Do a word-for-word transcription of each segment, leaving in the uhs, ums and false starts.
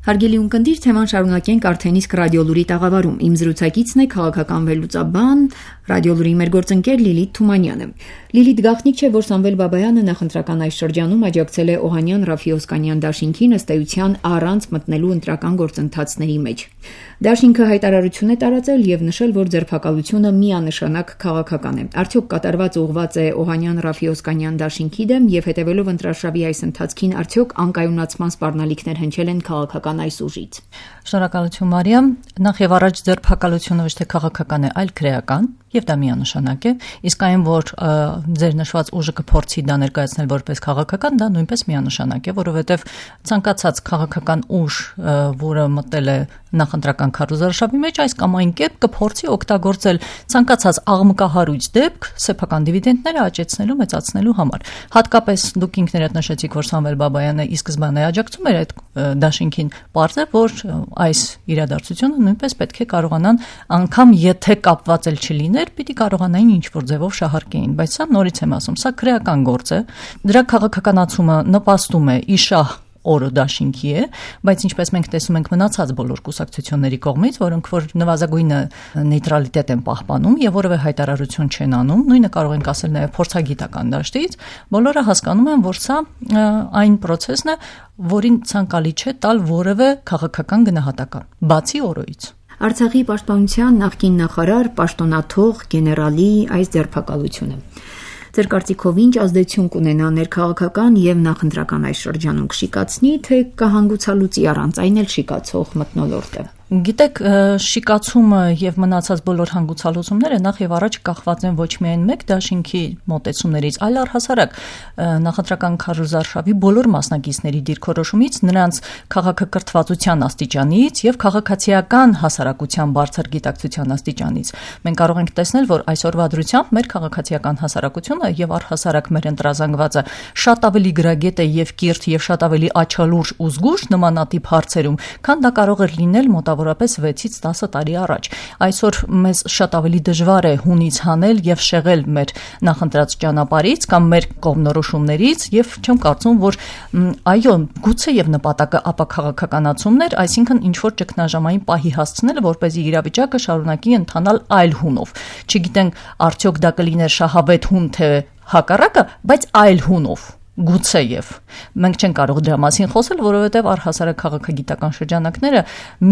Հարգելի ունկնդիր, թեման շարունակենք արդեն իսկ ռադիոլուրի տաղավարում։ Իմ զրուցակիցն է քաղաքական վերլուծաբան, ռադիոլուրի մեր գործընկեր Լիլիթ Թումանյանը։ Լիլիթ, գաղտնիք չէ, որ Սամվել Բաբայանը նախընտրական այս շրջանում աջակցել է Օհանյան Ռաֆի-Օսկանյան դաշինքին ըստ էության առանց մտնելու ընտրական գործընթացների մեջ։ Դաշինքը հայտարարություն է տարածել եւ նշել, որ ձերբակալությունը միանշանակ քաղաքական է։ Արդյոք կատարված ուղղված է Օհանյան Ռաֆի-Օսկանյան դաշինքի դեմ եւ հետեւելով ընտրաշավի այս ընթացքին արդյոք անկայունացման սպառնալիքներ հնչել են քաղաքական այս ուժից։ Շնորհակալություն Մարիամ, նախ եւ առաջ ձերբակալությունը ոչ թե քաղաքական է, այլ քրեական, եւ դա միանշանակ է, իսկ այն, որ ձեր նշված ուժը կփորձի դա ներկայացնել որպես քաղաքական, դա նույնպես միանշանակ է, որովհետեւ ցանկացած քաղաքական ուժ, որը մտել է նախընտրական քարոզարշավի մեջ, այս կամ այն կերպ կփորձի օգտագործել ցանկացած աղմկահարույց դեպք սեփական դիվիդենդները աճեցնելու, մեծացնելու համար։ Հատկապես դուք ինքներդ նշեցիք, որ Սամվել Բաբայանը ի սկզբանե աջակցում էր այդ դաշինքին, պարզ է, որ այս իրադարձությունը նույնպես պետք է կարողանան, անգամ եթե կապված էլ չլիներ, պիտի կարողանային ինչ-որ ձևով շահարկեին, բայց սա նորից եմ ասում, սա քրեական գործ է, դրա քաղաքականացումը նպաստում է իշահ օրը դաշինքի է, բայց ինչպես մենք տեսում ենք մնացած բոլոր կուսակցությունների կողմից, որոնք որ նվազագույնը նեյտրալիտետ են պահպանում եւ որևէ հայտարարություն չեն անում, նույնը կարող ենք ասել նաեւ փորձագիտական դաշտից, բոլորը հասկանում են, որ սա այն process-ն է, որին ցանկալի չէ տալ որևէ քաղաքական գնահատական, բացի օրոյից։ Արցախի պաշտպանության նախկին նախարար, պաշտոնաթող գեներալի այս ձերբակալությունը Ձեր կարծիքով ինչ ազդեցություն կունենա ներքաղաքական եւ նախընտրական այս շրջանում կշիկացնի, թե կհանգուցալուծի առանց այն էլ շիկացող մթնոլորտը։ Գիտեք, շիկացումը եւ մնացած բոլոր հանգուցալուծումները նախ եւ առաջ կախված են ոչ միայն մեկ դաշինքի մոտեցումներից, այլ առհասարակ նախընտրական քարոզարշավի բոլոր մասնակիցների դիրքորոշումից, նրանց քաղաքակրթվածության աստիճանից եւ քաղաքացիական հասարակության բարձր գիտակցության աստիճանից։ Մենք կարող ենք տեսնել, որ այսօրվա դրությամբ մեր քաղաքացիական հասարակությունը եւ առհասարակ մեր ընտրազանգվածը շատ ավելի գրագետ է եւ կիրթ եւ շատ ավելի աչալուրջ ու զգույշ նմանատիպ հարցերում, քան դա կարող էր լինել մոտ որապես վեցից տասը տարի առաջ։ Այսօր մեզ շատ ավելի դժվար է հունից հանել եւ շեղել մեր նախընտրած ճանապարհից կամ մեր կողմնորոշումներից եւ չեմ կարծում, որ այո, գուցե եւ նպատակը ապաքաղաքականացումներ, այսինքն ինչ որ ճգնաժամային պահի հասցնելը, որպեսզի իրավիճակը շարունակի ընթանալ այլ հունով։ Չգիտենք արդյոք դա կլիներ շահավետ հուն թե հակառակը, բայց այլ հունով։ Գուցե եւ մենք չենք կարող դրա մասին խոսել, որովհետեւ առհասարակ քաղաքագիտական շրջանակները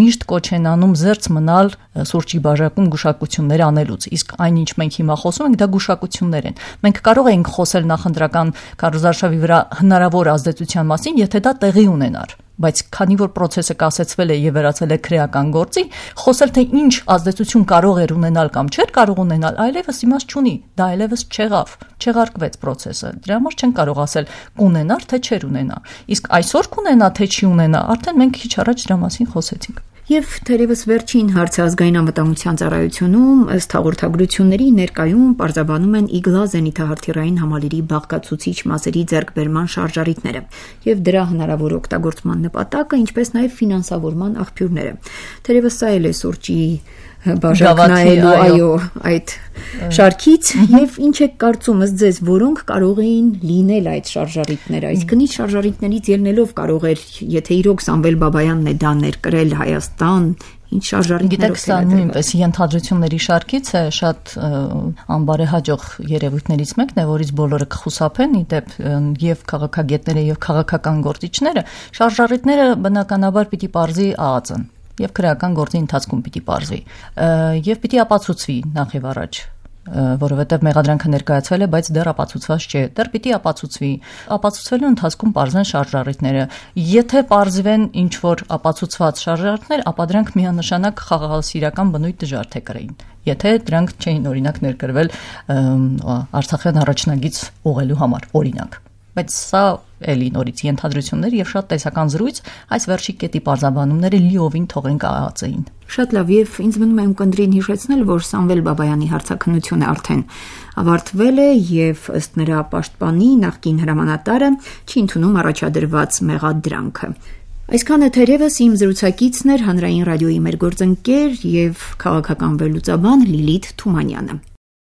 միշտ կոչ են անում զերծ մնալ սուրճի բաժակում գուշակություններ անելուց, իսկ այնինչ մենք հիմա խոսում ենք, դա գուշակություններ են։ Մենք կարող ենք խոսել նախընտրական քարոզարշավի վրա հնարավոր ազդեցության մասին, եթե դա տեղի ունենար, բայց քանի որ process-ը կասեցվել է եւ վերածել է քրեական գործի, խոսել թե ինչ ազդեցություն կարող էր ունենալ կամ չէր կարող ունենալ, այլևս իմաստ չունի, դա այլևս չեղավ, չեղարկվեց process-ը։ Դրա համար չեն կարող ասել կունենար թե չէր ունենա։ Իսկ այսօր կունենա թե չի ունենա, արդեն մենք քիչ առաջ դրա մասին խոսեցինք։ Եվ թերևս վերջին հարցը ազգային անվտանգության ծառայությունում ըստ հաղորդագրությունների ներկայում պարզաբանում են իգլա զենիթահրթիռային համալիրի բաղկացուցիչ մասերի ձեռքբերման շարժառիթները եւ դրա հնարավոր օգտագործման նպատակը, ինչպես նաեւ ֆինանսավորման աղբյուրները։ Թերևս սա էլ է սուրճի բաժակնայելու այո այդ շարքից եւ ինչ է կարծում ըստ ձեզ, որոնք կարող էին լինել այդ շարժառիթները, այսինքն ինչ շարժառիթներից ելնելով կարող էր, եթե իրոք Սամվել Բաբայանն է դա ներկրել Հայաստան, ինչ շարժառիթներով։ Գիտեք, սա նույնպես ենթադրությունների շարքից է, շատ անբարեհաջող երևույթներից մեկն է, որից բոլորը կխուսափեն, իդեպ եւ քաղաքագետները եւ քաղաքական գործիչները, շարժառիթները բնականաբար պիտի պարզի ԱԱԾ-ն եւ քրեական գործի ընթացքում պիտի պարզվի եւ պիտի ապացուցվի նախ եւ առաջ, որովհետեւ մեղադրանքը ներկայացվել է, բայց դեռ ապացուցված չէ, դեռ պիտի ապացուցվի, ապացուցվելու ընթացքում պարզվեն շարժառիթները, եթե պարզվեն ինչ որ ապացուցված շարժառիթներ, ապա դրանք միանշանակ խաղաղասիրական բնույթ դժվար թե կրեին, եթե դրանք չէին օրինակ ներկրվել Արցախյան առաջնագիծ ուղղելու համար, օրինակ, բայց սա էլի նորից ենթադրություններ եւ շատ տեսական զրույց, այս վերջի կետի պարզաբանումները լիովին թողենք ԱԱԾ-ին։ Շատ լավ, եւ ինձ մնում է ունկնդրին հիշեցնել, որ Սամվել Բաբայանի հարցաքննությունը արդեն ավարտվել է եւ ըստ նրա պաշտպանի նախկին հրամանատարը չի ընդունում առաջադրված մեղադրանքը։ Այսքանը թերևս իմ զրուցակիցն էր հանրային ռադիոյի մեր գործընկեր եւ քաղաքական վերլուծաբան Լիլիթ Թումանյանը։